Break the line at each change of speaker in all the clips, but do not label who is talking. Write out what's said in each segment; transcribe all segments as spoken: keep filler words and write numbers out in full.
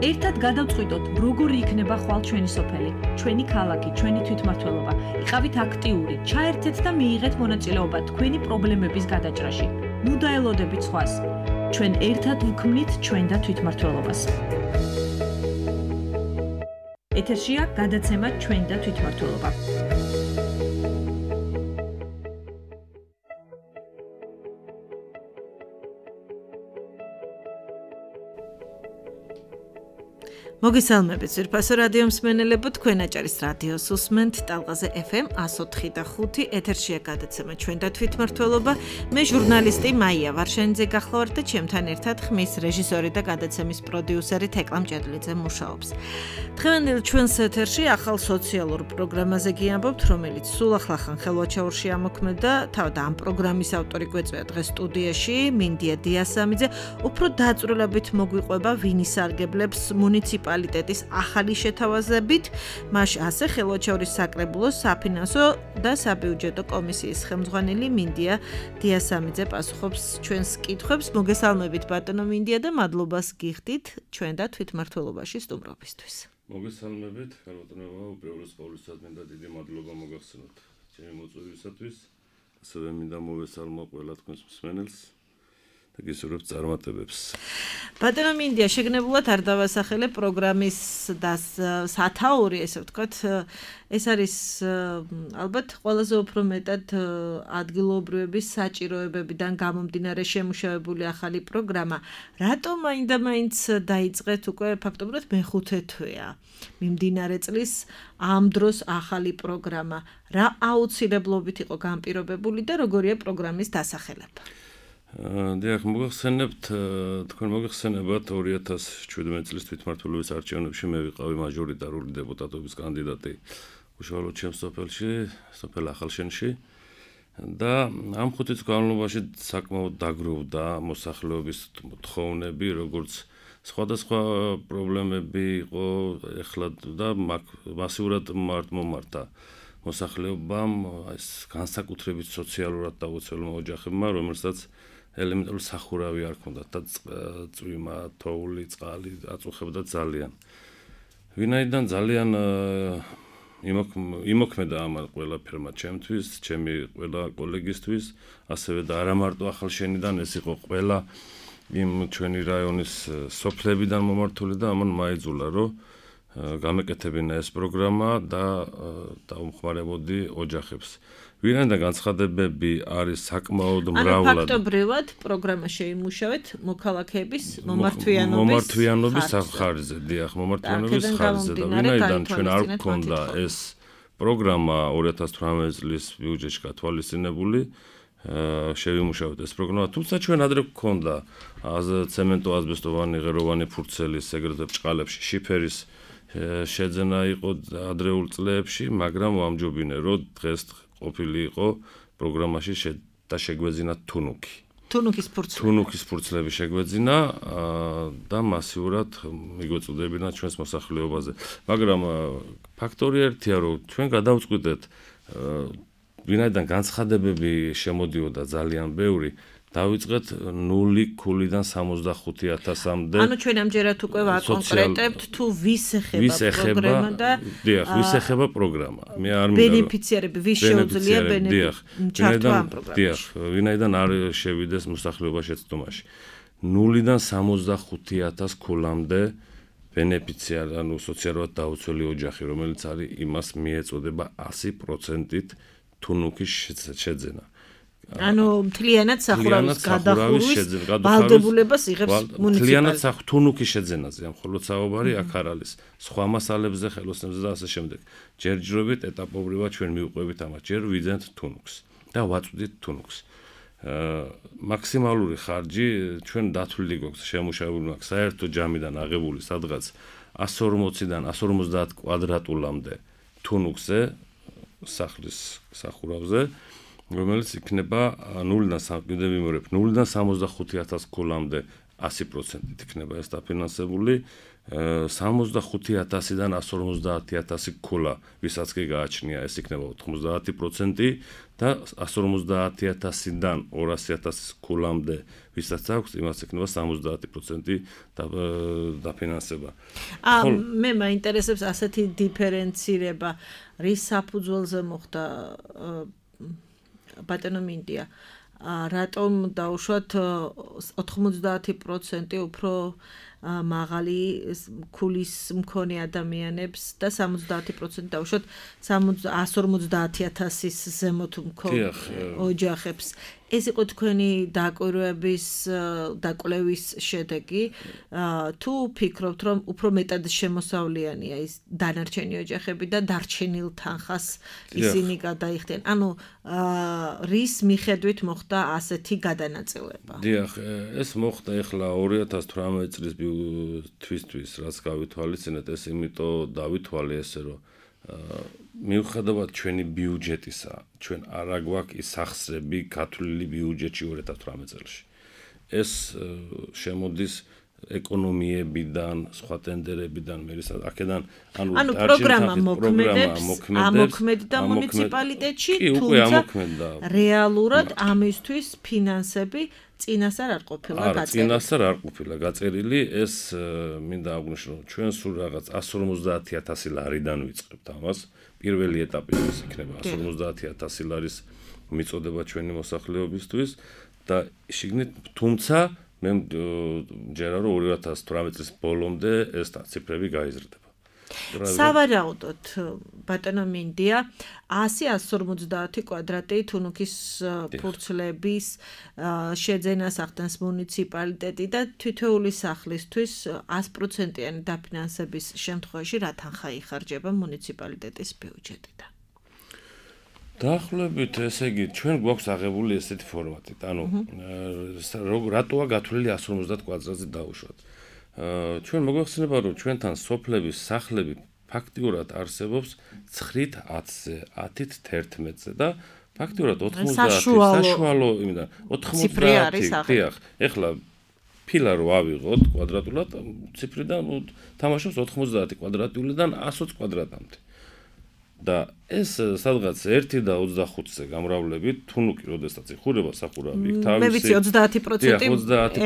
ერთად გადავწყვიტოთ, როგორი იქნება ხვალ ჩვენი სოფელი, ჩვენი ქალაქი, ჩვენი თვითმმართველობა. იყავით აქტიური, ჩაერთეთ და მიიღეთ მონაწილეობა თქვენი პრობლემების გადაჭრაში. ნუ დაელოდებით სხვას. ჩვენ ერთად ვქმნით ჩვენ და თვითმმართველობას. ეთერშია გადაცემა ჩვენ და თვითმმართველობა. მოგესალმებით ძვირფასო რადიო მსმენელებო, თქვენ აჭარის რადიოს უსმენთ ტალღაზე ეფ ემ εκατო ოთხი და ხუთი. ეთერშია გადაცემა ჩვენ და თვითმმართველობა. მე ჟურნალისტი მაია ვარშენიძე გახლავართ და ჩემთან ერთად ხმის რეჟისორი და გადაცემის პროდიუსერი თეკლამ ჭედლიძე მუშაობს. დღევანდელ ჩვენს ეთერში ახალ სოციალურ პროგრამაზე გიამბობთ, რომელიც სულ ახლახან ხელვაჩაურში ამოქმედა. თავად ამ პროგრამის ავტორი გვეწვია დღეს სტუდიაში მინდია დიასამიძე. უფრო დაწვრილებით მოგვიყვება ვინ ისარგებლებს მუნიციპალიტეტის ახალი შეთავაზებით, მას ასე ხელვაჩაურის საკრებულოს საფინანსო და საბიუჯეტო კომისიის ხელმძღვანელი მინდია დიასამიძე პასუხობს ჩვენს კითხვებს. მოგესალმებით ბატონო მინდია და მადლობას გიხდით ჩვენ და თვითმმართველობაში სტუმრობისთვის.
მოგესალმებით, ხელმძღვანელობა, უპირველეს ყოვლისა მინდა დიდი მადლობა მოგახსენოთ ჩემი მოწვევისათვის. ასევე მინდა მოვესალმო ყველა თქვენს მსმენელს. და გისურვებთ წარმატებებს.
ბატონო მინდია, შეგნებულად არ დავასახელე პროგრამის და სათაური, ესე ვთქვათ, ეს არის ალბათ ყველაზე უფრო მეტად ადგილობრივების საჭიროებებიდან გამომდინარე შემუშავებული ახალი პროგრამა. რატომ მაინდა-მაინც დაიწყეთ უკვე ფაქტობრივად მეხუთე თვეა მიმდინარე წლის ამ დროს ახალი პროგრამა? რა აუცილებლობით იყო განპირობებული და როგორია პროგრამის დასახელება?
დიახ, მოგახსენებთ, თქვენ მოგახსენებათ ორი ათას შვიდმეტი წლის თვითმმართველობის არჩევნებში მე ვიყავი მაჟორიტარული დეპუტატობის კანდიდატი უშუალოდ ჩემს სოფელში, სოფელ ახალშენში და ამ ხუთი წლის განმავლობაში საკმაოდ დაგროვდა მოსახლეობის თხოვნები, როგორც სხვადასხვა პრობლემები იყო ეხლა და მასიურად მომართა მოსახლეობამ, ეს განსაკუთრებით სოციალურად დაუცველმა ოჯახებმა, რომელსაც ელემენტარული სახურავი არ ჰქონდათ და წვიმა, თოვლი, წყალი აწუხებდა ძალიან. ვინაიდან ძალიან იმოქმედა ამ ყველაფერმა ჩემთვის, ჩემი ყველა კოლეგისთვის, ასევე და არა მარტო ახალშენიდან, ეს იყო ყველა იმ ჩვენი რაიონის სოფლებიდან მომართული და ამან მაიძულა, რომ გამეკეთებინა ეს პროგრამა და დაუმხმარებოდი ოჯახებს. ვინაიდან განცხადებები არის საკმაოდ მრავლად.
ანუ ფაქტობრივად პროგრამა შეიმუშავეთ მოქალაქეების მომართვიანობის
მომართვიანობის ხარჯზე, დიახ, მომართვიანობის ხარჯზე და ვინაიდან ჩვენ არ გქონდა ეს პროგრამა ორი ათას თვრამეტი წლის ბიუჯეტში გათვალისწინებული, შევიმუშავეთ ეს პროგრამა, თუმცა ჩვენ ადრე გქონდა ცემენტო აზბესტოვანი ღეროვანი ფურცელის ეგრეთვე ბჭყალებში შიფერის შეძენა იყო ადრეულ წლებში, მაგრამ ვამჯობინე, რომ დღეს ყოფილი იყო პროგრამაში და შეგვეძინა თუნუქი.
თუნუქის ფურცლები.
თუნუქის ფურცლები შეგვეძინა და მასიურად მიგვეწოდებინა ჩვენს მოსახლეობაზე. მაგრამ ფაქტორი ერთია, რომ ჩვენ გადავწყვიტეთ, ვინაიდან განცხადებები შემოდიოდა ძალიან ბევრი, დავიწყეთ ნული ქულიდან სამოცდახუთი ათასამდე.
ანუ ჩვენ ამჯერად უკვე ვაკონკრეტებთ თუ ვის ეხება პროგრამა და
დიახ, ვის ეხება პროგრამა. მე არ მინდა
ბენეფიციარები, ვის შეუძლია ბენეფიციარები.
დიახ, ვინაიდან არ შევიდეს მოსახლეობა შეცდომაში. ნულიდან სამოცდახუთი ათას ქულამდე ბენეფიციარი, ანუ სოციალურად დაუცველი ოჯახი, რომელიც არის იმას მიეწოდება ასი პროცენტით თუნუქის შეძენა.
ანუ მთლიანად სახურავის გადახურვის ვალდებულებას იღებს მუნიციპალიტეტი.
მთლიანად თუნუქის შეძენაზე, მხოლოდ საუბარი აქ არ არის. სხვა მასალებზე, ხელოსნებზე და ასე შემდეგ. ჯერჯერობით ეტაპობრივად ჩვენ მივყვებით ამას. ჯერ ვიძენთ თუნუქს და ვაწვდით თუნუქს. მაქსიმალური ხარჯი ჩვენ დათვლილი გვაქვს, შემუშავებული მაქვს საერთო ჯამიდან აღებული სადღაც ასი ორმოციდან ასი ორმოცდაათ კვადრატულამდე თუნუქზე, სახლის სახურავზე, რომელიც იქნება ნულიდან ნულიდან სამოცდახუთი ათას ქულამდე ასი პროცენტით იქნება ეს დაფინანსებული. სამოცდახუთი ათასიდან εκατს ორმოცდაათი ათასი ქულა, ვისაც კი გააჩნია, ეს იქნება ოთხმოცდაათი პროცენტი და εκατს ორმოცდაათი ათასიდან ორასი ათასის ქულამდე, ვისაც აქვს, იმას იქნება სამოცდაათი პროცენტი დაფინანსება.
აა მე მაინტერესებს ასეთი დიფერენცირება, რის საფუძველზე მოხდა ბატონო მინდია. რატომ დაუშვათ ოთხმოცდაათი პროცენტი უფრო მაღალი ქულის მქონე ადამიანებს და სამოცდაათი პროცენტი დაუშვათ εκατს ორმოცდაათი ათასის ზემოთ მქონე ოჯახებს. ეს იყო თქვენი დაკვირვების დაკვლევის შედეგი. თუ ფიქრობთ, რომ უფრო მეტად შემოსავლიანია ის დანარჩენი ოჯახები და დარჩენილ თანხას ისინი გადაიხდიან. ანუ რის მიხედვით მოხდა ასეთი გადანაწილება?
დიახ, ეს მოხდა ეხლა ორი ათას თვრამეტი წლის თვისთვის, რაც გავითვალისწინეთ, ეს იმიტომ დავითვალე ესე, რომ მიუხედავად ჩვენი ბიუჯეტისა, ჩვენ არ აგვაქვს ის სახსრები გათვლილი ბიუჯეტში ორი ათას თვრამეტი წელს. ეს შემოდის ეკონომიებიდან, სხვა ტენდერებიდან, მე აქედან ანუ
ანუ პროგრამა მოქმედებს, ამოქმედდა მუნიციპალიტეტში, თუმცა რეალურად ამისთვის ფინანსები წინასწარ არ ყოფილა
გაწერილი. არა, წინასწარ არ ყოფილა გაწერილი, ეს მინდა აღვნიშნო, ჩვენ სულ რაღაც εκατს ორმოცდაათი ათასი ლარიდან ვიწყებთ ამას. პირველი ეტაპი ის იქნება εκατს ორმოცდაათი ათასი ლარის მიწოდება ჩვენი მოსახლეობისთვის და შიგნით თუმცა მე მჯერა რომ ორი ათას თვრამეტი წლის ბოლომდე ეს ციფრები გაიზრდება.
სავარაუდოდ ბატონო მინდია ასი εκατს ორმოცდაათი კვადრატი თუნუქის ფურცლების შეძენას ახდენს მუნიციპალიტეტი და თითოეული სახლისთვის ასი პროცენტიანი დაფინანსების შემთხვევაში რა თანხა იხარჯება მუნიციპალიტეტის ბიუჯეტიდან?
დაახლოებით ესე იგი ჩვენ გვაქვს აღებული ესეთი ფორმატით. ანუ რატოა გათვლილი εκατს ორმოცდაათ კვადრატზე დაუშვათ. ჩვენ მოგვეხსენება რომ ჩვენთან სოფლების სახლები ფაქტიურად არსებობს ცხრით ათზე, ათით თერთმეტზე და ფაქტიურად ოცდაათი საშუალო იმიდან ოცდაათი დიახ, ეხლა ფილა რო ავიღოთ კვადრატულად ციფრიდან თამაშობს ოცდაათი კვადრატულიდან εκατს ოცი კვადრატამდე. და ეს სადღაც ერთი და ოცდახუთზე გამრავლებით, თუნუქი როდესაც იხურება სახურავი, იქ თავისი
მე ვიცი ოცდაათი პროცენტი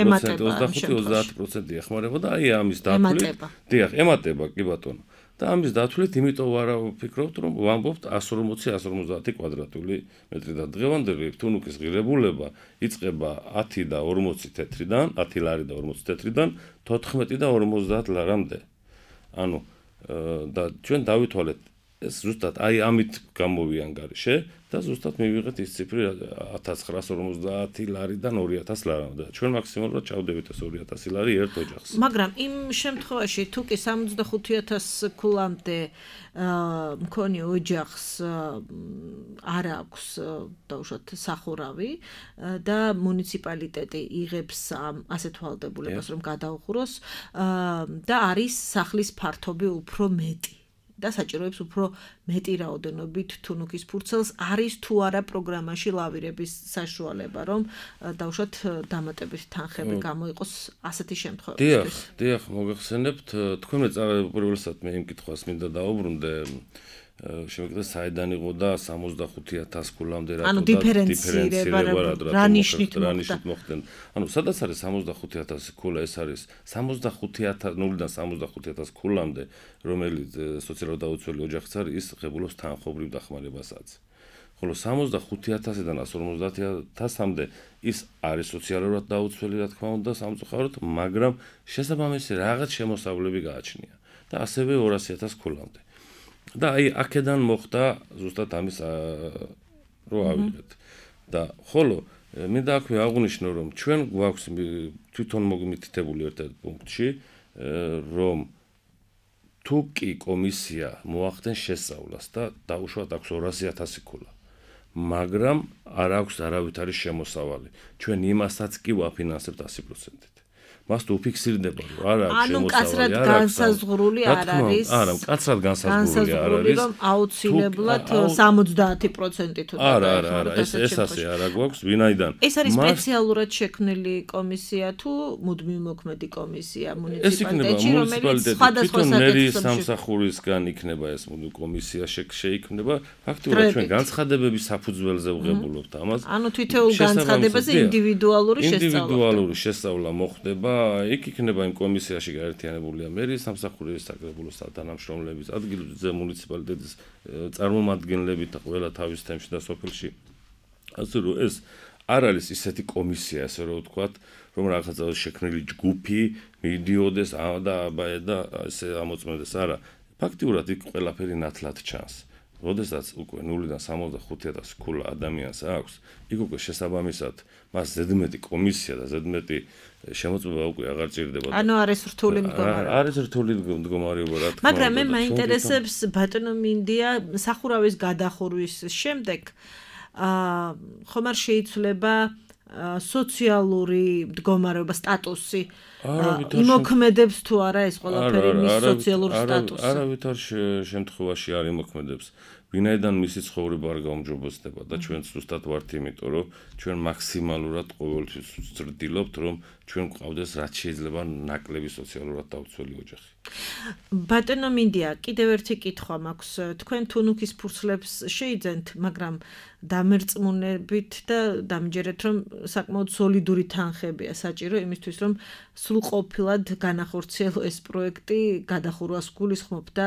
ემატება, ოცდახუთი ოცდაათი პროცენტი ეხმარება და აი ამის დათვლით, დიახ, ემატება კი ბატონო. და ამის დათვლით, იმიტომ ვარა ვფიქრობთ, რომ ვამბობთ εκατს ორმოცი εκατს ორმოცდაათი კვადრატული მეტრი და დღევანდელი თუნუქის ღირებულება იწყება ათი და ორმოცი თეთრიდან, ათი ლარი და ორმოცი თეთრიდან, თოთხმეტი და ორმოცდაათ ლარამდე. ანუ და ჩვენ დავითვალეთ ეს ზუსტად აი ამით გამოვიანგარიშე და ზუსტად მივიღეთ ის ციფრი ათას ცხრაას ორმოცდაათი ლარიდან ორი ათას ლარამდე. ჩვენ მაქსიმალურად ჩავდებით ეს ორი ათასი ლარი ერთ ოჯახს.
მაგრამ იმ შემთხვევაში თუ კი სამოცდახუთი ათასი ქულამდე მქონე ოჯახს არ აქვს დაუშვათ სახურავი და მუნიციპალიტეტი იღებს ასეთ ვალდებულებას რომ გადაუხუროს და არის სახლის ფართობი უფრო მეტი. და საჭიროებს უფრო მეტი რაოდენობით თუნუქის ფურცელს არის თუ არა პროგრამაში ლავირების საშუალება რომ დაუშვათ დამატებით თანხები გამოიყოს ასეთი შემთხვევებისთვის.
დიახ, დიახ, მოგეხსენებთ, თქვენ უპირველესად მე იმ კითხვას მინდა დაუბრუნდე, შემიძლია საიდან იყო და სამოცდახუთი ათასი ქულამდე რატო
ანუ დიფერენცირება რა ნიშნით
მოხდა? ანუ სადაც არის სამოცდახუთი ათასი ქულა, ეს არის სამოცდახუთი ათასი ნულიდან სამოცდახუთი ათასი ქულამდე, რომელიც სოციალურად დაუცველი ოჯახიც არის, ის ღებულობს თანხობრივ დახმარებასაც. ხოლო სამოცდახუთი ათასიდან εκατს ორმოცდაათი ათასამდე ის არის სოციალურად დაუცველი, რა თქმა უნდა, სამწუხაროდ, მაგრამ შესაბამისი რაღაც შემოსავლები გააჩნია და ასევე ორასი ათასი ქულამდე. და აი აქედან მოხდა ზუსტად ამის რო ავიღეთ. და ხოლო მინდა აქვე აღვნიშნო რომ ჩვენ გვაქვს თვითონ მოგმითითებული ერთ-ერთ პუნქტში რომ თუ კი კომისია მოახდენს შესწავლას და დაუშვათ აქვს ორასი ათასი ქულა, მაგრამ არ აქვს არავითარი შემოსავალი. ჩვენ იმასაც კი ვაფინანსებთ ასი პროცენტით. მას თუ უფიქსირდება, რომ არ აქვს
ანუ
შემოსავალი,
კაცრად
არ აქვს
განსაზღვრული არ არის.
არა, კაცრად განსაზღვრული არ არის.
რომ აუცილებლად სამოცდაათი პროცენტი თუ
არა, არა, არა, ეს ეს ასე არა გვაქვს, ვინაიდან.
ეს არის სპეციალურად შექმნილი კომისია თუ მუდმივ მოქმედი კომისია მუნიციპალიტეტში, რომელიც სხვადასხვა
მერიის სამსახურისგან იქნება ეს მუდმივ კომისია შეიქმნება. ფაქტობრივად ჩვენ განცხადებების საფუძველზე ვღებულობთ ამას.
ანუ თითოეულ განცხადებაზე ინდივიდუალური შესწავლა.
ინდივიდუალური შესწავლა მოხდება. იქ იქნება იმ კომისიაში გაერთიანებულია მერიის სამსახურის საკრებულოს თანამშრომლების ადგილზე მუნიციპალიტეტის წარმომადგენლები და ყველა თავის თემში და სოფელში. ასე რომ ეს არ არის ისეთი კომისია, ასე რომ ვთქვათ, რომ რაღაცა შექმნილი ჯგუფი მიდიოდეს და და ესე ამოწმდეს. არა, ფაქტიურად იქ ყველაფერი ნათლად ჩანს. როდესაც უკვე ნულიდან სამოცდახუთი ათასი ქულა ადამიანს აქვს, იქ უკვე შესაბამისად მას ზედმეტი კომისია და ზედმეტი შემოწმება უკვე აღარ ჭირდება.
ანუ არის რთული მდგომარეობა.
არის რთული მდგომარეობა, რა თქმა უნდა.
მაგრამ მე მაინტერესებს ბატონო მინდია სახურავის გადახურვის შემდეგ აა ხომ არ შეიცვლება სოციალური მდგომარეობა სტატუსი იმოქმედებს თუ არა ეს ყველაფერი მის სოციალურ სტატუსს.
არავითარ შემთხვევაში არ იმოქმედებს. ვინაიდან მისი ცხოვრება არ გაუმჯობესდება და ჩვენ ზუსტად ვართ იმიტომ რომ ჩვენ მაქსიმალურად ყოველთვის ვცდილობთ რომ ჩვენ გვყავდეს რაც შეიძლება ნაკლები სოციალურად დაუცველი ოჯახი.
ბატონო მინდია, კიდევ ერთი კითხვა მაქვს. თქვენ თუნუქის ფურცლებს შეიძენთ, მაგრამ დამერწმუნებით და დამჯერეთ რომ საკმაოდ სოლიდური თანხებია საჭირო იმისთვის რომ სრულყოფილად განახორციელო ეს პროექტი გადახურვას გულისხმობ და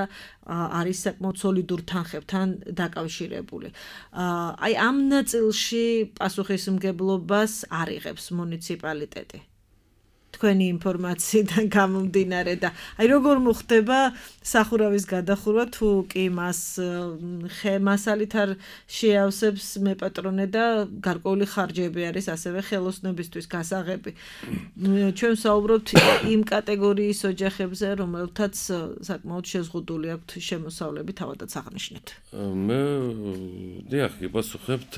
არის საკმაოდ სოლიდურ თანხებთან დაკავშირებული. აი ამ ნაწილში პასუხისმგებლობას არ იღებს მუნიციპალიტეტი. თქვენი ინფორმაციიდან გამომდინარე და აი როგორ მოხდება სახურავის გადახურვა თუ კი მას ხემასალით არ შეავსებს მეპატრონე და გარკვეული ხარჯები არის ასევე ხელოსნებისთვის გასაღები. ჩვენ საუბრობთ იმ კატეგორიის ოჯახებზე, რომელთაც საკმაოდ შეზღუდული აქვთ შემოსავლები, თავადაც აღნიშნეთ.
მე დიახ, გიპასუხებთ,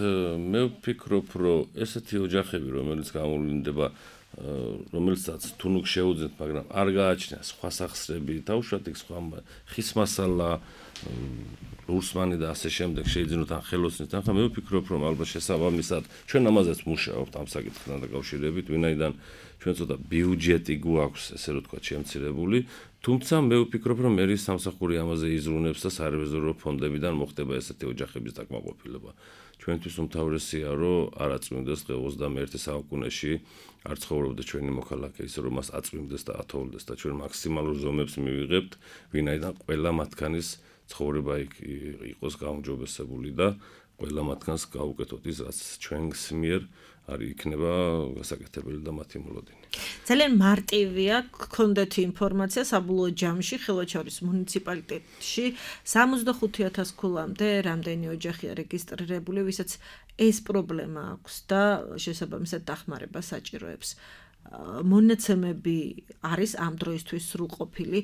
მე ვფიქრობ, რომ ესეთი ოჯახები, რომელიც გამოვლინდება რომელსაც თუნუქ შეუძენთ, მაგრამ არ გააჩნია სხვა სახსრები, თავშოთ იქ სხვა ხის მასალა, რუსმანი და ასე შემდეგ შეიძინოთ ან ხელოსნის თანხა, მე ვფიქრობ, რომ ალბათ შესაბამისად ჩვენ ამაზეც მუშაობთ ამ საკითხთან დაკავშირებით, ვინაიდან ჩვენ ცოტა ბიუჯეტი გვაქვს, ესე რომ ვთქვათ, შემცირებული, თუმცა მე ვფიქრობ, რომ მერიის სამსახური ამაზე იზრუნებს და სარეზერვო ფონდებიდან მოხდება ესეთი ოჯახების დაკმაყოფილება. ჩვენთვის უმთავრესია, რომ არ აწვიმდეს დღე ოცდამეერთე საუკუნეში არ ცხოვრობდა ჩვენი მოქალაქე ისე რომ მას აწვიმდეს და ათოვლდეს და ჩვენ მაქსიმალურ ზომებს მივიღებთ, ვინაიდან ყველა მათგანის ცხოვრება იყოს გაუმჯობესებული და ყველა მათგანს გავუკეთოთ ის, რაც ჩვენს მიერ არის იქნება გასაკეთებელი და მათი მოლოდინი.
ძალიან მარტივია გქონდეთ ინფორმაცია საბოლოო ჯამში ხელვაჩაურის მუნიციპალიტეტში სამოცდახუთი ათასი ქულამდე რამდენი ოჯახია რეგისტრირებული, ვისაც ეს პრობლემა აქვს და შესაბამისად დახმარება საჭიროებს. მონაცემები არის ამ დროისთვის სრულყოფილი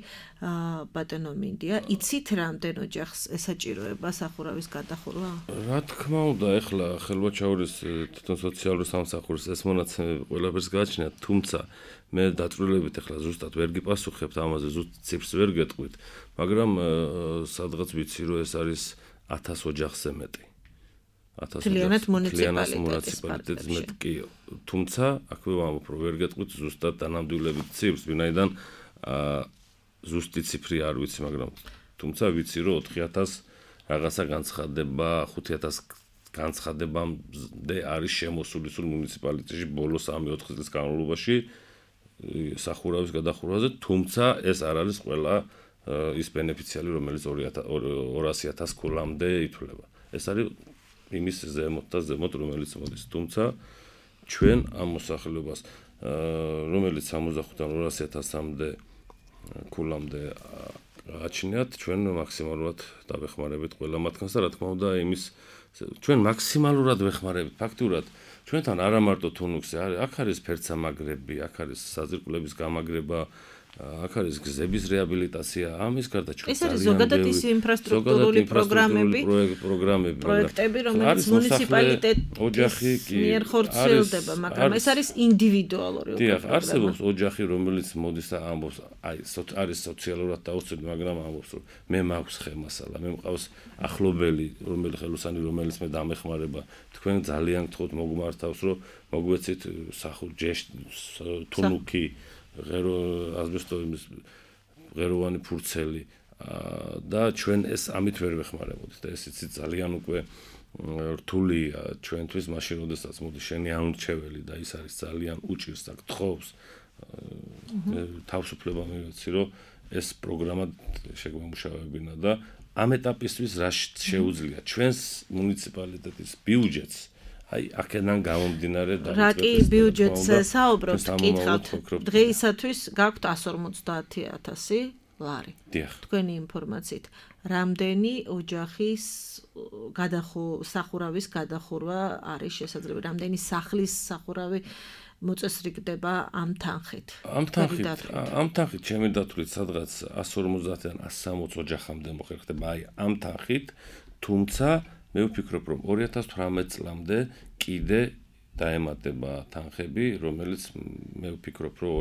ბატონო მინდია, იცით რამდენ ოჯახს ესაჭიროება სახურავის გადახურვა?
რა თქმა უნდა, ეხლა ხელვაჩაურის თვითონ სოციალური სამსახურის ეს მონაცემები ყველაფერს გააჩნიათ, თუმცა მე დაწვრილებით ეხლა ზუსტად ვერ გიპასუხებთ ამაზე, ზუსტ ციფრს ვერ გეტყვით, მაგრამ სადღაც ვიცი, რომ ეს არის ათას ოჯახზე მეტი.
Თლიანად მუნიციპალიტეტის
მეტი კი, თუმცა აქვე ვამბობ, რომ ვერ გეტყვით ზუსტად დანამდვილებით ციფრს, ვინაიდან ზუსტი ციფრი არ ვიცი, მაგრამ თუმცა ვიცი, რომ ოთხი ათასი რაღაცა განცხადება, ხუთი ათასი განცხადებამდე არის შემოსული სულ მუნიციპალიტეტში ბოლო სამი ოთხი წლის განმავლობაში სახურავის გადახურვაზე, თუმცა ეს არ არის ყველა ის ბენეფიციარი, რომელიც ორასი ათასი ქულამდე ითვლება. ეს არის იმის ზემოთ და ზემოთ, რომელიც მოდის. თუმცა ჩვენ ამ მოსახლეობას, რომელიც სამოცდახუთიდან ორასი ათასამდე ქულამდე გააჩნიათ, ჩვენ მაქსიმალურად დავეხმარებით ყველა მათგანს და რა თქმა უნდა, იმის ჩვენ მაქსიმალურად ვეხმარებით. ფაქტურად ჩვენთან არა მარტო თუნუქზე არის, აქ არის ფერცამაგრები, აქ არის საძირკვლების გამაგრება, აქ არის გზების რეაბილიტაცია, ამის გარდა ჩვენ
ეს არის ზოგადად ის ინფრასტრუქტურული პროგრამები,
პროგრამები,
პროექტები, რომელიც მუნიციპალიტეტის მიერ ხორციელდება, მაგრამ ეს არის ინდივიდუალური
პროგრამა. დიახ, არსებობს ოჯახი, რომელიც მოდის და ამბობს, აი, არის სოციალურად დაუცველი, მაგრამ ამბობს, რომ მე მაქვს ხემასალა, მე მყავს ახლობელი, რომელი ხელოსანი, რომელიც მე დამეხმარება. თქვენ ძალიან გთხოვთ მოგმართავს, რომ მოგვეცით სახურ ჯეშ თუნუქი ღერო ასბესტოების ღეროვანი ფურცელი და ჩვენ ეს ამით ვერ ვეხმარებოდით და ეს იცი ძალიან უკვე რთულია ჩვენთვის მაშინ როდესაც მოდი შენი ამრჩეველი და ის არის ძალიან უჭირს და გთხოვს თავისუფლება მივეცი რომ ეს პროგრამა შეგვემუშავებინა და ამ ეტაპისთვის რა შეუძლია ჩვენს მუნიციპალიტეტის ბიუჯეტს აი აქედან გამომდინარე და
რა კი ბიუჯეტზე საუბრობთ კითხავთ დღეისათვის გაქვთ εκατს ორმოცდაათი ათასი ლარი თქვენი ინფორმაციით რამდენი ოჯახის გადახურავის გადახურვა არის შესაძლებელი რამდენი სახლის სახურავი მოწესრიგდება ამ თანხით
ამ თანხით ამ თანხით ჩემი დათვლით სადღაც εκατს ორმოცდაათიდან εκατს სამოცი ოჯახამდე მოხერხდება აი ამ თანხით თუმცა მე ვფიქრობ რომ ორი ათას თვრამეტ წლამდე კიდე დაემატება თანხები რომელიც მე ვფიქრობ რომ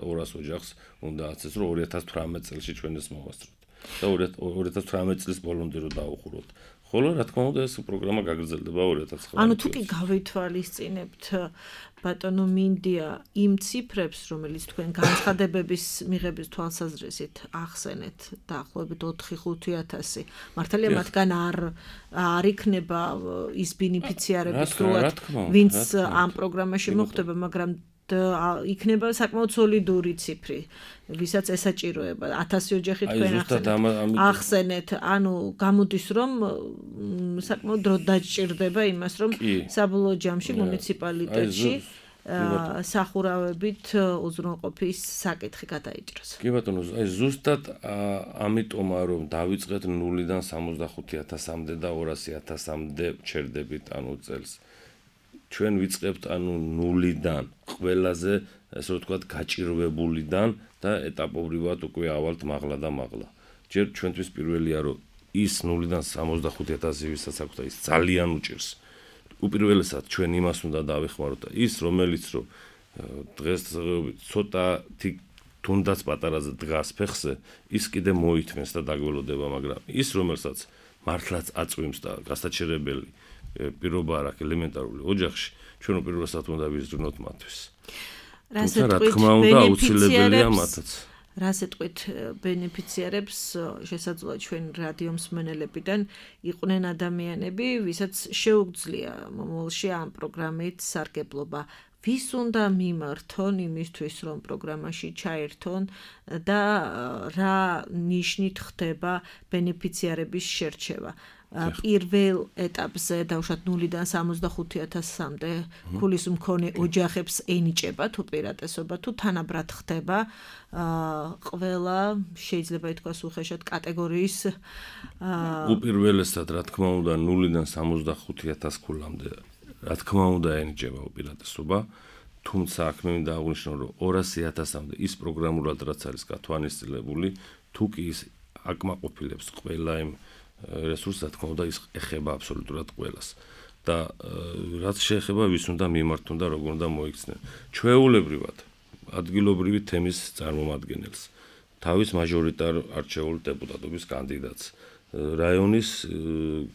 ორას ოჯახს უნდა აცეს რომ ორი ათას თვრამეტ წელს ჩვენ ეს მოვასწროთ და ორი ათას თვრამეტ წლის ბოლომდე რომ დაუხუროთ ხოლო რა თქმა უნდა ეს პროგრამა გაგრძელდება ორი ათას ცხრამეტ
ანუ თუ კი გავითვალისწინებთ ბატონო მინდია იმ ციფრებს რომელიც თქვენ განცხადებების მიღების თვალსაზრისით ახსენეთ დაახლოებით ოთხი ხუთი ათასი მართალია მათგან არ არ იქნება ის ბენეფიციარები სრულად ვინც ამ პროგრამაში მოხვდება მაგრამ იქნება საკმაოდ სოლიდური ციფრი ვისაც ესაჭიროება ათასი ოჯახი თქვენ ახსენეთ ანუ გამოდის რომ საკმაოდ დრო დაჭირდება იმას რომ საბოლოო ჯამში მუნიციპალიტეტში სახურავებით უზრუნყოფის საკითხი გადაიჭრას.
კი ბატონო, აი ზუსტად ამიტომა რომ დავიწყეთ ნულიდან სამოცდახუთი ათასამდე და ორასი ათასამდე ჩერდებით ანუ წელს. ჩვენ ვიწყებთ ანუ ნულიდან, ყველაზე ესე რომ ვთქვათ გაჭირვებულიდან და ეტაპობრივად უკვე ავალთ მაღლა და მაღლა. ჯერ ჩვენთვის პირველია რომ ის ნულიდან სამოცდახუთი ათასი ვისაც აქვს და ის ძალიან უჭირს. უპირველესად ჩვენ იმას უნდა დავეხმაროთ და ის რომელიც რომ დღეს ცოტათი თუნდაც პატარაზე დგას ფეხზე ის კიდე მოითმეს და დაგველოდება მაგრამ ის რომელსაც მართლაც აწვიმს და გასაჩერებელი პირობა არ აქვს ელემენტარული ოჯახში ჩვენ უპირველესად უნდა ვიზრუნოთ მათთვის
რა
თქმა უნდა აუცილებელია მათაც
რას ეტყვით ბენეფიციარებს შესაძლოა ჩვენ რადიო მსმენელებიდან იყვნენ ადამიანები ვისაც შეუძლია მომავალში ამ პროგრამით სარგებლობა ვის უნდა მიმართონ იმისთვის რომ პროგრამაში ჩაერთონ და რა ნიშნით ხდება ბენეფიციარების შერჩევა პირველ ეტაპზე დავუშვათ ნულიდან სამოცდახუთი ათასამდე ქულის მქონე ოჯახებს ენიჭებათ უპირატესობა თუ თანაბრად ხდება ყველა შეიძლება ითქვას უხეშად კატეგორიის
უპირველესად რა თქმა უნდა ნულიდან სამოცდახუთი ათას ქულამდე რა თქმა უნდა ენიჭება უპირატესობა თუმცა აქ მე მინდა აღვნიშნო რომ ორასი ათასამდე ის პროგრამულად რაც არის გათვალისწინებული თუ კი ის აკმაყოფილებს ყველა იმ რესურსს რა თქმა უნდა ის ეხება აბსოლუტურად ყველას და რაც შეეხება ვის უნდა მიმართონ და როგორ უნდა მოიქცნენ ჩვეულებრივად ადგილობრივი თემის წარმომადგენელს თავის მაჟორიტარ არჩეულ დეპუტატობის კანდიდატს რაიონის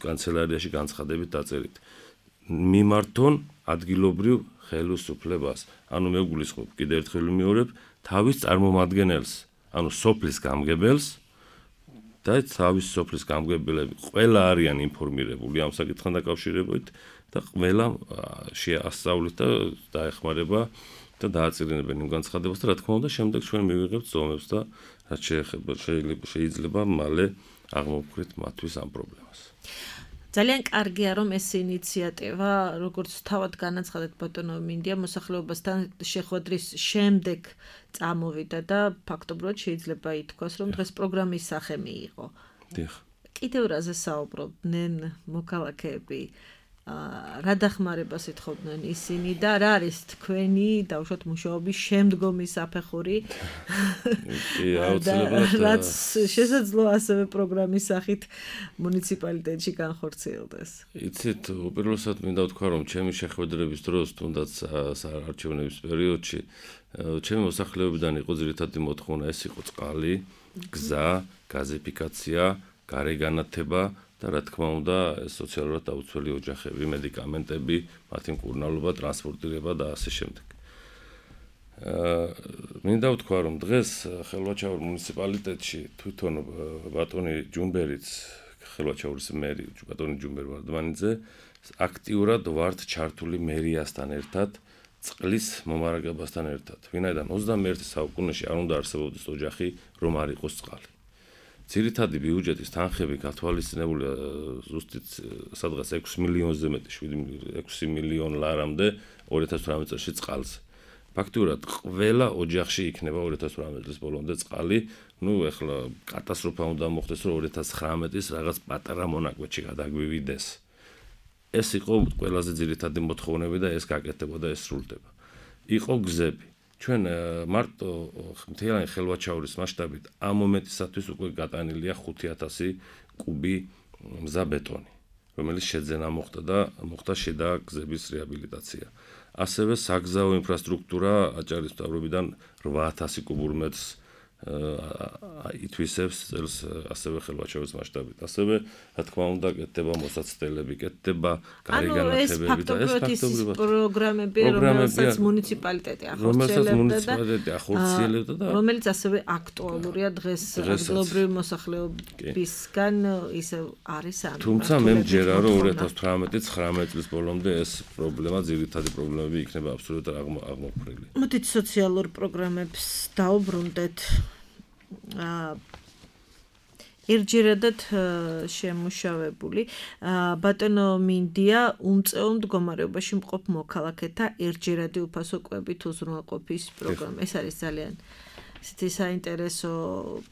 კანცელარიაში განცხადებით დაწერით მიმართონ ადგილობრივ ხელისუფლებას ანუ მე გულისხმობ კიდევ ერთხელ ვიმეორებ თავის წარმომადგენელს ანუ სოფლის გამგებელს და თავის სოფლის გამგებელები ყველა არიან ინფორმირებული ამ საკითხთან დაკავშირებით და ყველა შეასწავლით და დაეხმარება და დააწირინებენ იმ განცხადებას და რა თქმა უნდა შემდეგ ჩვენ მივიღებთ ზომებს და რაც შეეხება შეიძლება მალე აღმოვქვით მათთვის ამ პრობლემას.
ძალიან კარგია რომ ეს ინიციატივა როგორც თავად განაცხადეთ ბატონო მინდია მოსახლეობასთან შეხვედრის შემდეგ წამოვიდა და ფაქტობრივად შეიძლება ითქვას რომ დღეს პროგრამის სახე მიიღო.
დიახ.
კიდევ რაზე საუბრობდნენ მოქალაქეები რა დახმარებას ეთხოვდნენ ისინი და რა არის თქვენი დავუშვათ მუშაობის შემდგომი საფეხური?
კი, აუცილებლად
რაც შესაძლოა ასევე პროგრამის სახით მუნიციპალიტეტში განხორციელდეს.
იცით, უპირველესად მინდა ვთქვა, რომ ჩემი შეხვედრების დროს, თუნდაც საარჩევნების პერიოდში, ჩემი მოსახლეობიდან იყო ძირითადი მოთხოვნა, ეს იყო წყალი, გზა, გაზიფიკაცია, გარეგანათება და რა თქმა უნდა, სოციალურად დაუცველი ოჯახები, მედიკამენტები, მათი მკურნალობა, ტრანსპორტირება და ასე შემდეგ. მინდა ვთქვა, რომ დღეს ხელვაჩაურის მუნიციპალიტეტში თვითონ ბატონი ჯუმბერიც, ხელვაჩაურის მერი, ბატონი ჯუმბერ ვარდმანიძე, აქტიურად ვართ ჩართული მერიასთან ერთად, წყლის მომარაგებასთან ერთად. ვინაიდან ოცდამეერთე საუკუნეში არ უნდა არსებობდეს ოჯახი, რომ არ იყოს წყალი. ძირითადი ბიუჯეტის თანხები გათვალისწინებულია ზუსტად სადღაც ექვსი მილიონზე მეტი, ექვსი მილიონ ლარამდე ორი ათას თვრამეტ წელს წყალზე. ფაქტურად ყველა ოჯახში იქნება ორი ათას თვრამეტ წლის ბოლომდე წყალი. ნუ ეხლა კატასტროფა უნდა მოხდეს, რომ ორი ათას ცხრამეტის რაღაც პატარა მონაკვეთში გადაგვივიდეს. ეს იყო ყველაზე ძირითადი მოთხოვნები და ეს გაკეთდება და ეს სრულდება. იყო გზები. ჩვენ მარტო მთლიანი ხელვაჩაურის მასშტაბით ამ მომენტისათვის უკვე გატანილია ხუთი ათასი კუბი მზა ბეტონი, რომელიც შეძენა მოხდა და მოხდა შიდა გზების რეაბილიტაცია. ასევე საგზაო ინფრასტრუქტურა აჭარის მთავრობიდან რვა ათასი კუბურ მეტრს ითვისებს წელს ასევე ხელვაჩაურის მასშტაბით. ასევე რა თქმა უნდა კეთდება მოსაცდელები, კეთდება გარეგანათებები და ეს
ფაქტობრივად პროგრამები, რომელსაც მუნიციპალიტეტი ახორციელებდა და რომელიც ასევე აქტუალურია დღეს ადგილობრივი მოსახლეობისგან ისე არის ამ.
თუმცა მე მჯერა რომ ორი ათას თვრამეტი ცხრამეტ წლის ბოლომდე ეს პრობლემა, ძირითადი პრობლემები იქნება აბსოლუტურად აღმოფხვრილი.
მოდით სოციალურ პროგრამებს დაუბრუნდეთ. ერთჯერადად შემუშავებული ბატონო მინდია უმწეო მდგომარეობაში მყოფ მოქალაქეთა ერთჯერადი უფასო კვებით უზრუნველყოფის პროგრამა. ეს არის ძალიან ისეთი საინტერესო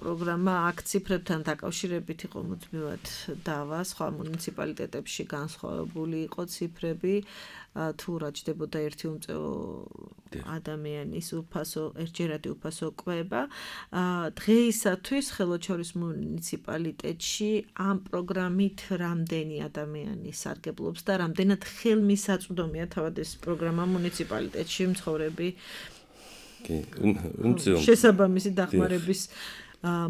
პროგრამა, აქ ციფრებთან დაკავშირებით იყო მუდმივად დავა, სხვა მუნიციპალიტეტებში განსხვავებული იყო ციფრები, თუ რა ჯდებოდა ერთი უმწეო ადამიანის უფასო, ერთჯერადი უფასო კვება. დღეისათვის ხელვაჩაურის მუნიციპალიტეტში ამ პროგრამით რამდენი ადამიანი სარგებლობს და რამდენად ხელმისაწვდომია თავად ეს პროგრამა მუნიციპალიტეტში მცხოვრები შესაბამისი დახმარების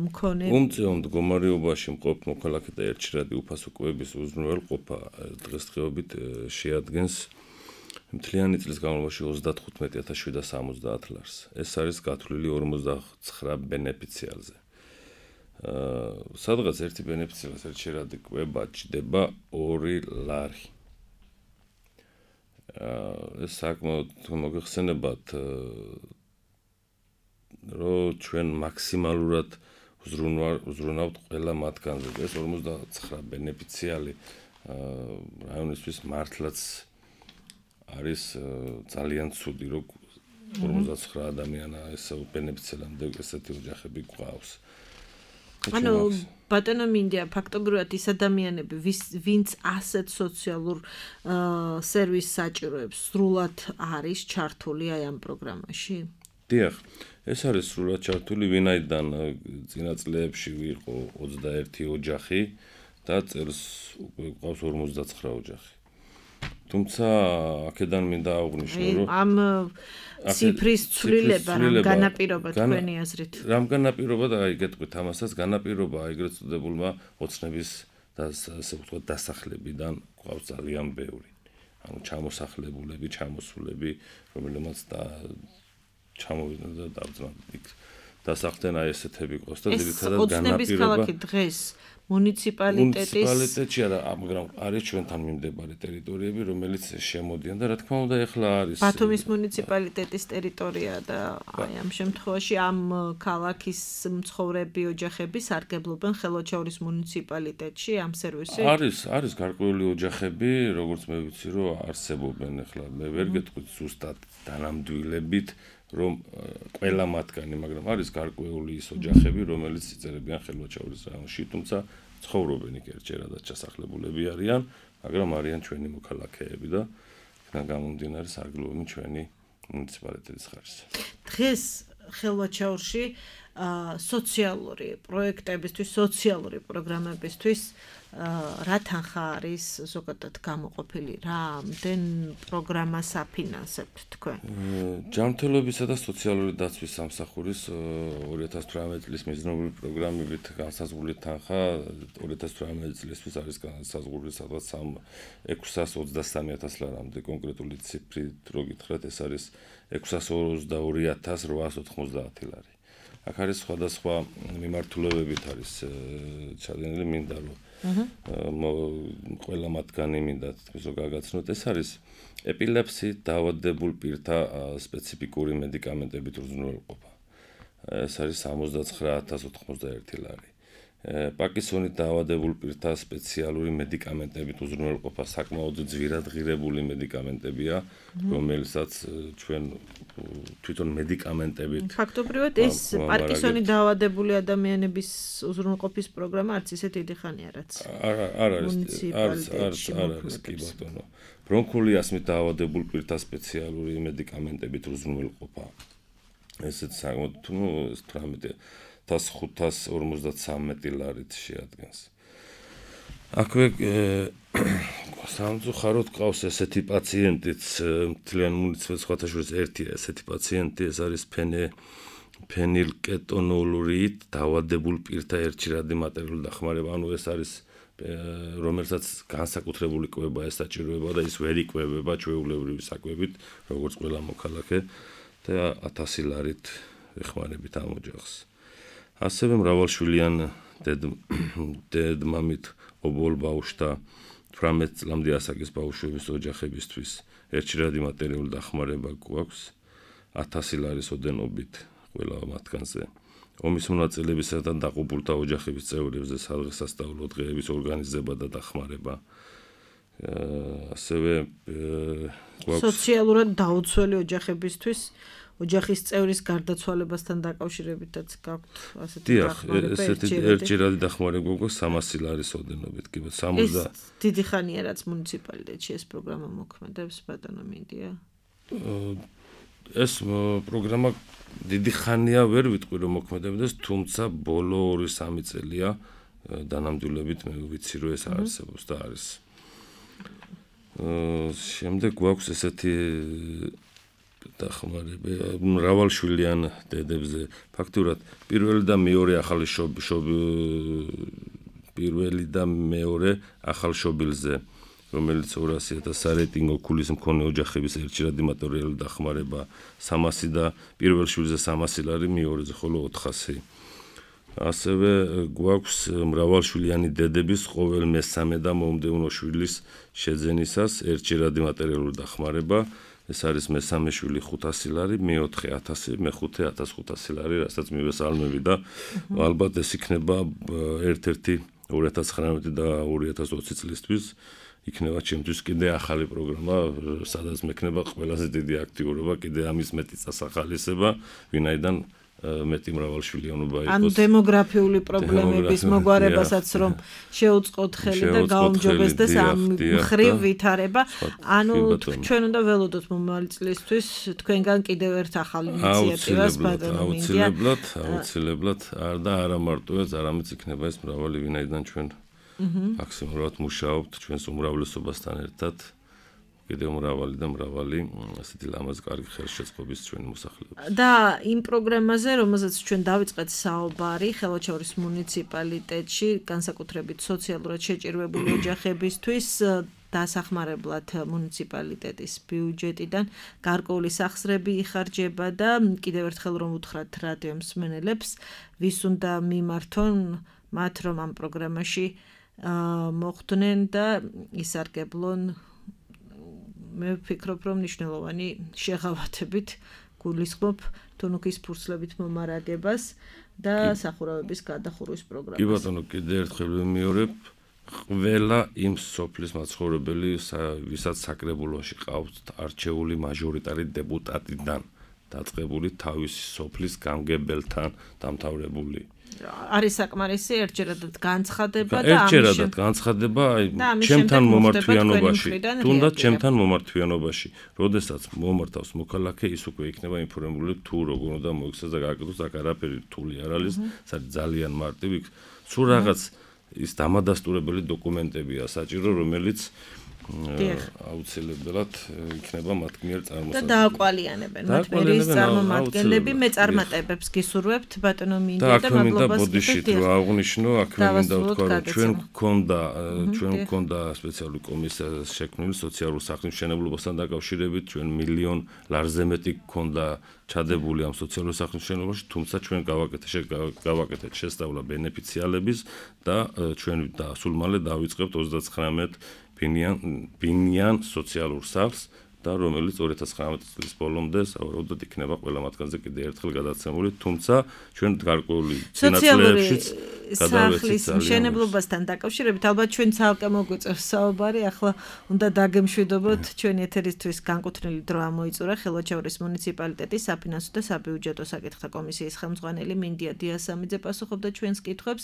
მქონე.
უმწეო მდგომარეობაში მყოფ მოქალაქეთა ერთჯერადი უფასო კვების უზრუნველყოფა დღესდღეობით შეადგენს მთლიანი წლის განმავლობაში ოცდათხუთმეტი ათას შვიდსათ სამოცდაათ ლარს. ეს არის გათვლილი ორმოცდაცხრა ბენეფიციარზე. სადღაც ერთი ბენეფიციარის ერთჯერადი კვება ჯდება ორი ლარი. ეს საკმაოდ მოგეხსენებათ რომ ჩვენ მაქსიმალურად ვზრუნავთ ყველა მათგანზე. ეს ორმოცდაცხრა ბენეფიციარი რაიონისთვის მართლაც არის ძალიან ცუდი, რომ ორმოცდაცხრა ადამიანა ეს ბენეფიციარამდე ესეთი ოჯახები გვყავს.
ანუ ბატონო მინდია ფაქტობრივად ის ადამიანები, ვინც ასეთ სოციალურ სერვისს საჭიროებს, სრულად არის ჩართული აი ამ პროგრამაში?
დიახ, ეს არის სრულად ჩართული, ვინაიდან წინა წლებში ვიყო ოცდაერთი ოჯახი და წელს უკვე გვყავს ორმოცდაცხრა ოჯახი. თუმცა აქედან მინდა აღვნიშნო, რომ
ამ ციფრის ცვლილება რამ განაპირობა თქვენი აზრით?
რამ განაპირობა და აი გეტყვით ამასაც, განაპირობა ეგრეთ წოდებულმა ოცნების და ასე ვთქვათ დასახლებიდან გვყავს ძალიან ბევრი. ანუ ჩამოსახლებულები, ჩამოსულები, რომელმაც და ჩამოვიდნენ და დავძნან იქ დასახდნენ აი ესეთები ყოს და ძირითადად განაპირობა
დღეს მუნიციპალიტეტის
მუნიციპალიტეტში არა, მაგრამ არის ჩვენთან მიმდებარე ტერიტორიები, რომელიც შემოდიან და რა თქმა უნდა ეხლა არის
ბათუმის მუნიციპალიტეტის ტერიტორია და აი ამ შემთხვევაში ამ ქალაქის მცხოვრები ოჯახები სარგებლობენ ხელვაჩაურის მუნიციპალიტეტში ამ სერვისით?
არის, არის გარკვეული ოჯახები, როგორც მე ვიცი, რომ არსებობენ ეხლა მე ვერ გეტყვით ზუსტად დანამდვილებით რომ ყველა მათგანი, მაგრამ არის გარკვეული ის ოჯახები, რომელიც იწერებიან ხელვაჩაურის რაიონში, თუმცა ცხოვრობენ იქ ერთჯერადად ჩასახლებულები არიან, მაგრამ არიან ჩვენი მოქალაქეები და იქიდან გამომდინარე სარგებლობენ ჩვენი მუნიციპალიტეტის ხარჯზე.
დღეს ხელვაჩაურში სოციალური პროექტებისთვის, სოციალური პროგრამებისთვის რა თანხა არის ზოგადად გამოყოფილი, რა ამდენ პროგრამას აფინანსებთ თქვენ?
ჯანმრთელობისა და სოციალური დაცვის სამსახურის ორი ათას თვრამეტი წლის მიზნობრივი პროგრამებით განსაზღვრული თანხა ორი ათას თვრამეტი წლისთვის არის განსაზღვრული სადღაც ექვსას ოცდასამი ათას ლარამდე, კონკრეტული ციფრით რო გითხრათ, ეს არის ექვსას ოცდაორი ათას რვაას ოთხმოცდაათი ლარი. აქ არის სხვადასხვა მიმართულებებით არის ჩადენილი, მინდა რომ ყველა მათგანი მინდა თვითონ რომ გაგაცნოთ. ეს არის ეპილეფსიით დაავადებულ პირთა სპეციფიკური მედიკამენტებით უზრუნველყოფა. ეს არის სამოცდაცხრა ათას ოთხმოცდაერთი ლარი. პარკინსონით დაავადებულ პირთა სპეციალური მედიკამენტებით უზრუნველყოფა საკმაოდ ძვირად ღირებული მედიკამენტებია, რომელსაც ჩვენ თვითონ მედიკამენტებით
ფაქტობრივად ეს პარკინსონით დაავადებული ადამიანების უზრუნველყოფის პროგრამა არც ისე დიდი ხანია რაც
არ არის არის არის არის კი ბატონო. ბრონქული ასმით დაავადებულ პირთა სპეციალური მედიკამენტებით უზრუნველყოფა. ესეც საკმაოდ ნუ თვრამეტი ათას ხუთას ორმოცდათვრამეტი ლარით შეადგენს. აქვე სამწუხაროდ ყავს ესეთი პაციენტიც მთლიან მუნიციპალიტეტს სხვათა შორის ერთია ესეთი პაციენტი, ეს არის ფენე ფენილკეტონურით დაავადებულ პირთა ერთჭირადი მატერიალური დახმარება, ანუ ეს არის რომელსაც განსაკუთრებული კვება ეს საჭიროება და ის ვერ იკვებება ჩვეულებრივი საკვებით, როგორც ყველა მოქალაქე და ათასი ლარით ეხმარებით ამ ოჯახს. ასევე მრავალშვილიან დედმამით ობოლ ბავშვთა თვრამეტ წლამდე ასაკის ბავშვების ოჯახებისთვის ერთჭირადი მატერიალური დახმარება გვაქვს ათასი ლარის ოდენობით ყველა მათგანზე. ომის მონაწილეებისა და დაყუპულთა ოჯახების წევრებზე სადღესასწაულო დღეების ორგანიზება და დახმარება. ასევე
გვაქვს სოციალურად დაუცველი ოჯახებისთვის ოჯახის წევრის გარდაცვალებასთან დაკავშირებითაც გაქვთ ასეთი
დახმარება. ესეთი ერთჭირადი დახმარება გვაქვს სამასი ლარის ოდენობით, კი ბატონო, სამოცდა.
ეს დიდი ხანია რაც მუნიციპალიტეტში ეს პროგრამა მოქმედებს, ბატონო მინდია.
ეს პროგრამა დიდი ხანია ვერ ვიტყვი რომ მოქმედებდეს, თუმცა ბოლო ორი სამი წელია დანამდვილებით მე ვიცი რომ ეს არსებობს და არის. შემდეგ გვაქვს ესეთი დახმარება მრავალშვილიან დედებზე. ფაქტურად პირველი და მეორე ახალი პირველი და მეორე ახალშობილზე, რომელიც ორასი ათას სარეიტინგო ქულის მქონე ოჯახების ერთჭირადი მატერიალური დახმარება სამასი და პირველ შვილზე სამასი ლარი, მეორეზე ხოლო ოთხასი. ასევე გვაქვს მრავალშვილიანი დედების ყოველ მესამე და მომდევნო შვილის შეძენისას ერთჭირადი მატერიალური დახმარება. ეს არის მესამე შვილი ხუთასი ლარი, მეოთხე ათასი, მეხუთე ათას ხუთასი ლარი, რასაც მივესალმები და ალბათ ეს იქნება ერთ-ერთი ორი ათას ცხრამეტი და ორი ათას ოცი წლისთვის იქნება ჩემთვის კიდე ახალი პროგრამა, სადაც მექნება ყველაზე დიდი აქტიურობა, კიდე ამის მეტი წასახალისება, ვინაიდან მეტი მრავალშვილიანობა იყოს.
ანუ დემოგრაფიული პრობლემების მოგვარებასაც რომ შეუწყოთ ხელი და გაუმჯობესდეს ამ მხრივ ვითარება. ანუ ჩვენ უნდა ველოდოთ მომავალი წლისთვის თქვენგან კიდევ ერთ ახალ ინიციატივას ბატონო მინდია.
აუცილებლად, აუცილებლად, არ და არა მარტო ეს, არამედ იქნება ეს მრავალი, ვინაიდან ჩვენ მაქსიმალურად მუშაობთ ჩვენს უმრავლესობასთან ერთად. კიდევ მრავალი და მრავალი ასეთი ლამაზი კარგი ხელშეწყობის ჩვენი მოსახლეობის.
და იმ პროგრამაზე, რომელზეც ჩვენ დავიწყეთ საუბარი, ხელვაჩაურის მუნიციპალიტეტში, განსაკუთრებით სოციალურად შეჭირვებული ოჯახებისთვის დასახმარებლად მუნიციპალიტეტის ბიუჯეტიდან გარკვეული სახსრები იხარჯება და კიდევ ერთხელ რომ უთხრათ რადიო მსმენელებს, ვის უნდა მიმართონ მათ რომ ამ პროგრამაში მოხვდნენ და ისარგებლონ. მე ვფიქრობ, რომ მნიშვნელოვანი შეღავათებით გულისხმობ თუნუქის ფურცლებით მომარაგებას და სახურავების გადახურვის პროგრამას.
კი ბატონო, კიდე ერთხელ ვიმეორებ, ყველა იმ სოფლის მაცხოვრებელი, ვისაც საკრებულოში ყავთ არჩეული მაჟორიტარი დეპუტატიდან დაწყებული თავისი სოფლის გამგებელთან დამთავრებული.
არის საკმარისი ერთჯერადად განცხადება და
ერთჯერადად განცხადება აი ჩემთან მომართვიანობაში თუნდაც ჩემთან მომართვიანობაში როდესაც მომართავს მოქალაქე ის უკვე იქნება ინფორმირებული თუ როგორ უნდა მოიქცეს და გააკეთოს აქ არაფერი რთული არ არის ეს არის ძალიან მარტივი სულ რაღაც ის დამადასტურებელი დოკუმენტებია საჭირო რომელიც აუცილებლად იქნება მათ მიერ წარმოსახველი.
და დააკვალიანებენ მათ მერის წარმომადგენლები, მე წარმატებებს გისურვებთ ბატონო მინდა და მადლობას
გითხრათ. რა აღნიშნო, აქვე მინდა ვთქვა, რომ ჩვენ გქონდა, ჩვენ გქონდა სპეციალური კომისია შექმნილი სოციალურ საქმის მშენებლობასთან დაკავშირებით, ჩვენ მილიონ ლარზე მეტი გქონდა ჩადებული ამ სოციალურ საქმის მშენებლობაში, თუმცა ჩვენ გავაკეთეთ გავაკეთეთ შესწავლა ბენეფიციალების და ჩვენ და სულ მალე დავიწყებთ ოცდათხრამეტ ბინიან ბინიან სოციალურ სახლს და რომელიც ორი ათას ცხრამეტი წლის ბოლომდე საუბრობთ იქნება ყველა მათგანზე კიდე ერთხელ გადაცემული, თუმცა ჩვენ გარკვეული წინაწლებებშიც
სახლის მშენებლობასთან დაკავშირებით ალბათ ჩვენ ცალკე მოგვიწევს საუბარი, ახლა უნდა დაგემშვიდობოთ ჩვენი ეთერისთვის განკუთვნილი დრო ამოიწურა ხელვაჩაურის მუნიციპალიტეტის საფინანსო და საბიუჯეტო საკითხთა კომისიის ხელმძღვანელი მინდია დიასამიძე პასუხობდა ჩვენს კითხვებს,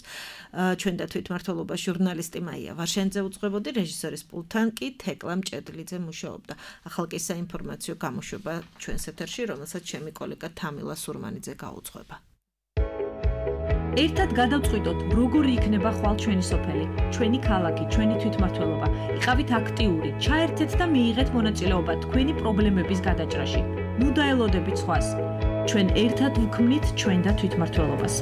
ჩვენ და თვითმმართველობა ჟურნალისტი მაია ვარშენძე უძღვებოდი, რეჟისორის პულტთან კი თეკლა მჭედლიძე მუშაობდა. ახალ კი საინფორმაციო გამოშვება ჩვენს ეთერში, რომელსაც ჩემი კოლეგა თამილა სურმანიძე გაუძღვება.
ერთად გადავწყვიტოთ, როგორი იქნება ხვალ ჩვენი სოფელი, ჩვენი ქალაქი, ჩვენი თვითმმართველობა. იყავით აქტიური, ჩაერთეთ და მიიღეთ მონაწილეობა თქვენი პრობლემების გადაჭრაში. ნუ დაელოდებით სხვას. ჩვენ ერთად ვქმნით ჩვენ და თვითმმართველობას.